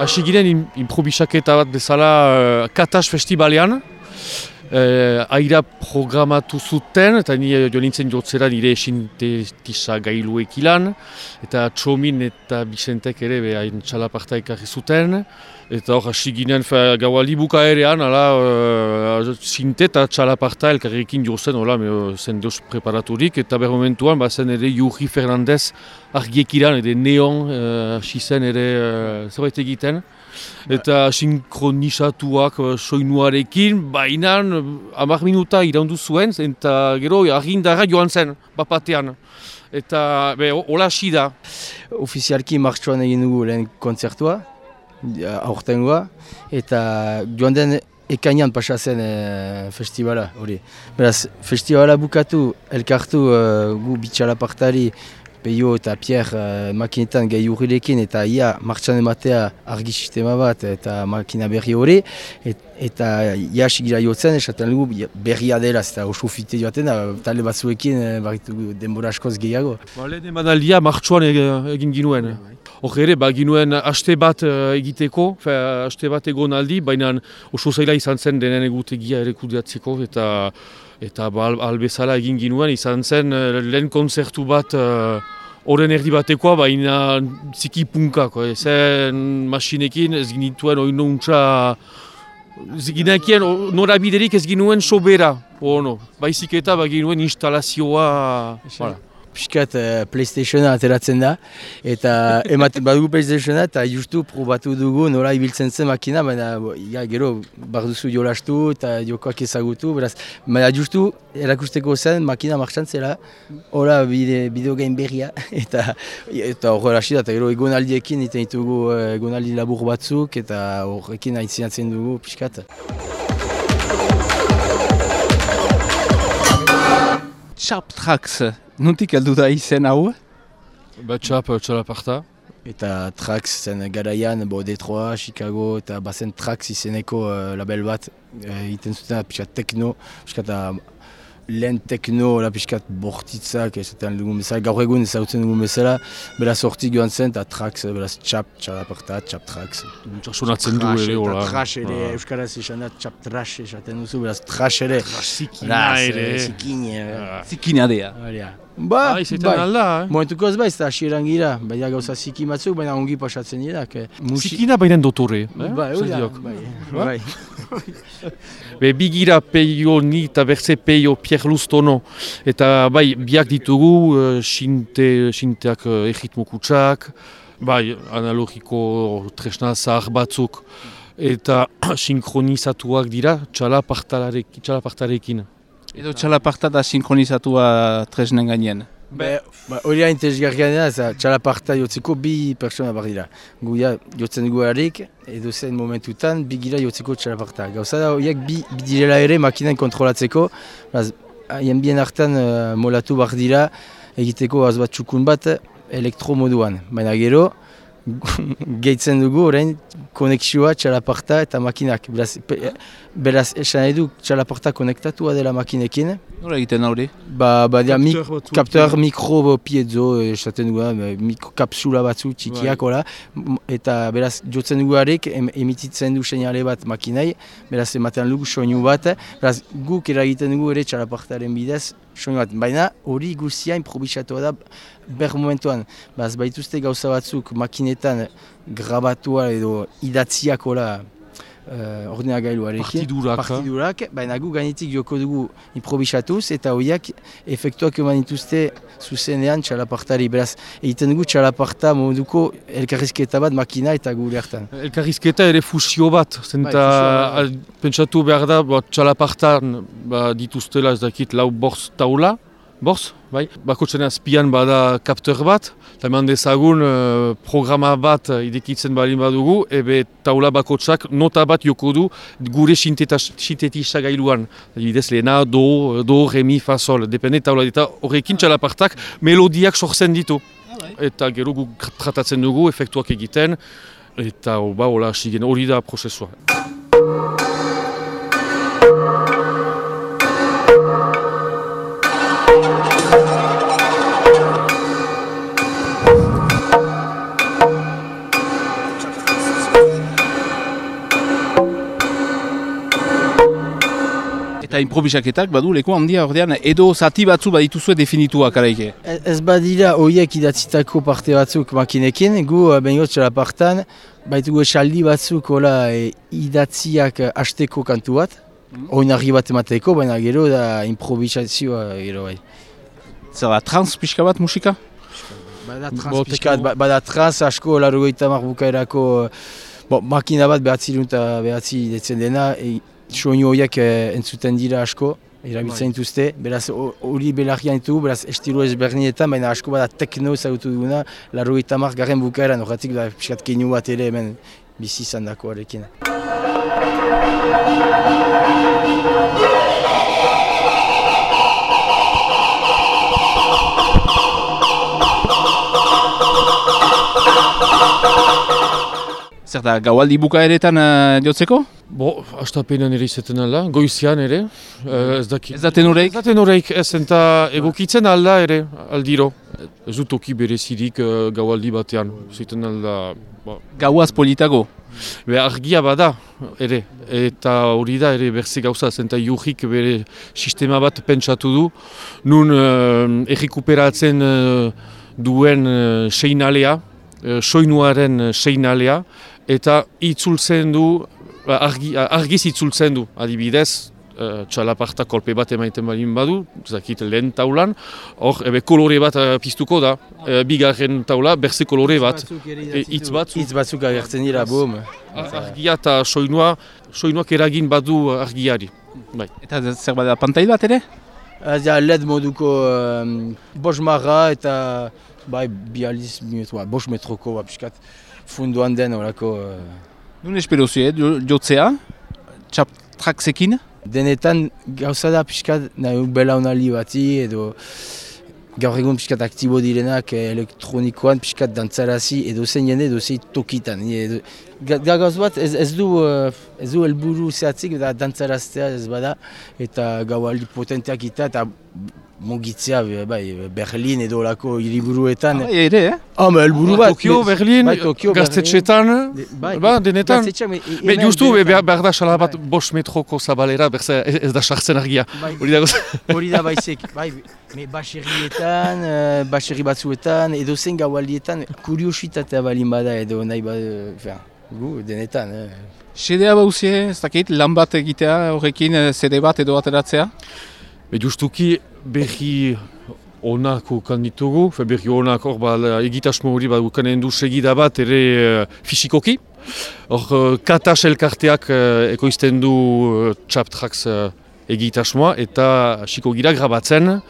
hasi ginen improbisaketa bat bezala Katas Festivalean. Aira programatu zuten, eta ni jo nintzen jotzera nire sintetisa gailuek ilan, eta Txomin eta Bizentek ere hain txalaparta ekarri zuten, eta hor hasi ginen gaua libuka erean, sinte eta txalaparta elkarrekin jozen, zen deus preparaturik, eta ber momentuan zen ere Juri Fernandez argiek ilan, ere neon hasi zen ere zerbait egiten. Eta sinkronizatuak soinuarekin, baina 10 minuta iraundu zuen, eta gero argindarra joan zen, bapatean. Eta hola hasi da. Ofizialki martxoan egin dugu lehen kontzertua, aurtengoa, eta joan den ekainan pasa zen festivala hori. Beraz, festivala bukatu, elkartu gu bitxalapartari, Peio eta Pierre makinetan gai urrilekin eta ia martxan ematea argi sistema bat eta makina berri hori eta ia sigira jotzen esaten dugu berria dela eta oso fite joaten da talde batzuekin barritu denbora askoz gehiago. Lehen emanaldia martxoan egin ginuen. Hor ere, ginuen aste bat egiteko, aste bat egon aldi, baina oso zaila izan zen denen egutegia ere kudeatzeko eta albezala egin ginuen izan zen lehen konzertu bat horren erdi batekoa, baina ziki punkako. Zen masinekin ez ginituen oino untxa, ginekien norabiderik ez ginuen sobera. Baizik eta ginuen instalazioa. Piskat PlayStationa ateratzen da, eta ematen badugu PlayStationa eta justu probatu dugu nola ibiltzen zen makina, baina gero barduzu jolastu eta jokoak ezagutu, beraz, baina justu erakusteko zen makina martxan zela, hola bideogain berria, eta horrela hasi da, eta gero egonaldiekin iten ditugu egonaldi labur batzuk, eta horrekin aintzinatzen dugu piskat. Chap Tracks, nondik heldu da izen hau? Txalaparta. Eta Trax zen garaian, Detroit, Chicago, eta bazen Trax izeneko label bat egiten zuten pixkat tekno, pixkat lehen tekno, pixkat bortitzak, esaten dugun bezala, gaur egun ezagutzen dugun bezala, beraz hortik joan zen, eta Trax, beraz txalaparta, Chap Trax. Sonatzen du ere, hola. Trash ere, euskaraz esan da, Chap Trash esaten duzu, beraz Trash ere. Zikina ere. Zikina dea. Izaten alda, momentuko ez baiz, eta asieran gira, baina gauza ziki batzuk, baina ongi pasatzen dira. Zikina baina dotore. Bai. Bigira Peio ni eta berze Peio Pierre Luztono. Eta biak ditugu sinteak egitmo kutsak, analogiko tresna zahar batzuk. Eta sinkronizatuak dira txalapartarekin. Edo txalaparta da sinkronizatua tresnen gainean. Hori hain tezgarrian da, txalaparta jotzeko bi pertsona bar dira. Guia jotzen dugu harik, edo zen momentutan bi gira jotzeko txalaparta. Gauza da horiek bi direla ere makinan kontrolatzeko, haien bien hartan molatu bar dira egiteko azbat txukun bat elektromoduan. Baina gero, gehitzen dugu orain konexioa txalaparta eta makinak. Beraz esan edu txalaparta konektatua dela makinekin. Nola egiten hori? Kapteur mikro piezo esaten dugu, kapsula batzu txikiak, eta beraz jotzen dugu harik emititzen du seinale bat makinai, beraz ematen dugu soinu bat, beraz guk eragiten dugu ere txalapartaren bidez soinu bat, baina hori guztia improbisatua da ber momentuan, baituzte gauza batzuk makinetan grabatua edo idatziak ordenagailuarekin, partidurak, baina gu gainetik joko dugu improbisatuz eta horiak efektuak eman dituzte zuzenean txalapartari. Beraz, egiten dugu txalaparta moduko elkarrizketa bat makina eta gure hartan. Elkarrizketa ere fusio bat, zenta pentsatu behar da txalapartan dituztela ez dakit lau borz taula, borz, bakotxen azpian bada kapteur bat, eta eman dezagun programa bat idekitzen balin badugu, ebe taula bakotxak nota bat joko du gure sintetisa gailuan. Adibidez, lehena, do, re, mi, fa, sol, depende taula eta horrekin txalapartak melodiak sortzen ditu. Eta gero gu tratatzen dugu, efektuak egiten, eta hori da prozesua. Eta improvisaketak badu leku handia ordean edo zati batzu badituzue definituak araike. Ez badira horiek idatzitako parte batzuk makinekin, gu behingot txalapartan, baitugu esaldi batzuk idatziak hasteko kantu bat, oinarri bat emateko, baina gero da improvisazioa gero bai. Zer da, trans pixka bat musika? Bada trans asko, 80 bukaerako makina bat behatzi detzen dena, soinu horiek entzuten dira asko, erabiltzen dituzte, beraz hori belarrian ditugu, beraz estilo ezberdinetan, baina asko bada tekno ezagutu duguna, 80 garren bukaeran, horretik pixkat keinu bat ere hemen bizi izan dakoarekin. Zer da, gaualdi bukaeretan jotzeko? Astapenan ere izaten alda, goizian ere, ez dakit. Ez da tenoreik? Ez da tenoreik, ez enta egokitzen alda ere, aldiro. Ez dut toki berezirik gaualdi batean, zaiten alda. Gauaz politago? Argia bada ere, eta hori da ere berze gauza, zenta jurrik bere sistema bat pentsatu du, nun errekuperatzen duen seinalea, soinuaren seinalea, eta itzultzen du, argiz itzultzen du, adibidez, txalaparta kolpe bat emaiten balin badu, zakit lehen taulan, hor kolore bat piztuko da, bigarren taula, berze kolore bat, hitz batzuk agertzen dira, boom. Argia eta soinuak eragin badu argiari. Bai. Eta zer bada pantail bat ere? LED moduko 5 marra eta bializ minutua, 5 metroko piskat funduan den horako. Nun espero zue, jotzea, txaptraksekin? Denetan gauza da piskat nahi belaunali bati edo gaur egun piskat aktibo direnak elektronikoan piskat dantzarazi edo zein jende edo zein tokitan. Gauz bat ez du helburu zehatzik da dantzaraztea ez bada eta gaualdi potenteak eta mugitzea Berlin edo olako hiriburuetan. Ere, helburu bat. Tokio, Berlin, Gaztetxetan, denetan. Justu, behar da xala bat 5 metroko zabalera, ez da sartzen argia. Hori da baizik. Baserrietan, baserri batzuetan, edo zen gaualdietan, kuriositatea balin bada edo nahi bada, denetan. Sedea bauzie, ez dakit, lan bat egitea horrekin CD bat edo ateratzea? Justuki berri onako kanditugu, berri onak egitasmo hori ukanen du segida bat ere fisikoki. Hor Katas elkarteak ekoizten du Chaptracks egitasmoa eta hasiko gira grabatzen.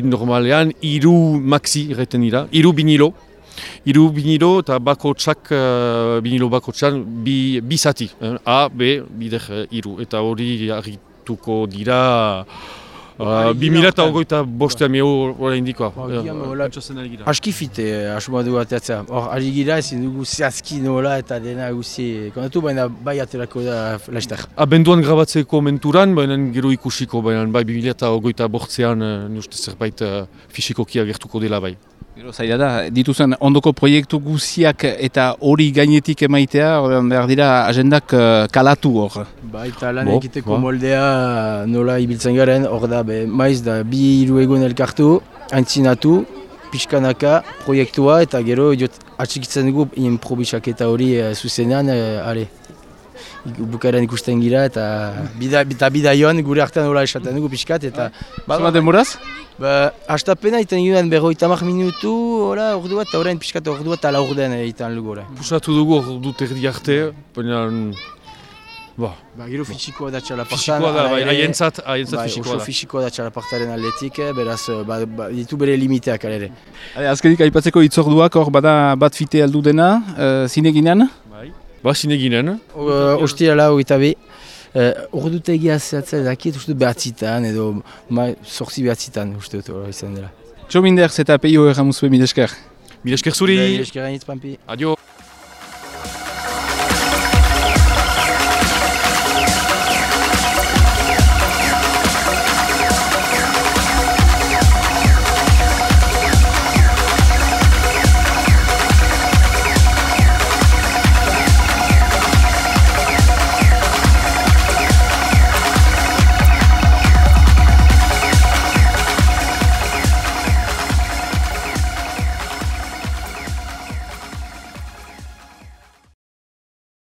Normalean 3 maxi erreten dira, 3 binilo. 3 binilo eta binilo bakotxan bi zati, A, B, bider 3. Eta hori argituko dira 2025 hori indikoa. Aski fite asmoa du ateatzea. Hor, ari gira ezin dugu zehazki nola eta dena guzi kontatu, baina bai aterako da laster. Abenduan grabatzeko menturan, baina gero ikusiko, baina bai 2025an uste zerbait fisikoki agertuko dela bai. Gero zaila da, dituzen ondoko proiektu guziak eta hori gainetik emaitea, behar dira agendak kalatu hor. Eta lan egiteko moldea nola ibiltzen garen, hor da, maiz da 2-3 egun elkartu, aintzinatu, pixkanaka, proiektua eta gero atxikitzen dugu improvisaketa hori zuzenean, bukaeran ikusten gira eta bidaion gure artean nola esaten dugu pixkat eta... Zuma demoraz? Hastapena iten ginen 50 minutu, ordu bat, eta orain pixkat ordu bat ala orden iten lugu. Pusatu dugu ordu terdi arte, baina... Gero fisikoa da txalapartan. Fisikoa da, haientzat fisikoa da. Oso fisikoa da txalapartaren aldetik, beraz ditu bere limiteak alere. Azkenik aipatzeko itzorduak hor bada bat fite aldu dena, zineginean? Zineginen. Ostirala hogeita bi. Ordute egia zehatzea dakit uste behatzitan edo zortzi behatzitan uste dut izan dela. Txo Minders eta peio erramuzue milesker. Milesker zuri. Milesker gainitz, Pampi. Adio.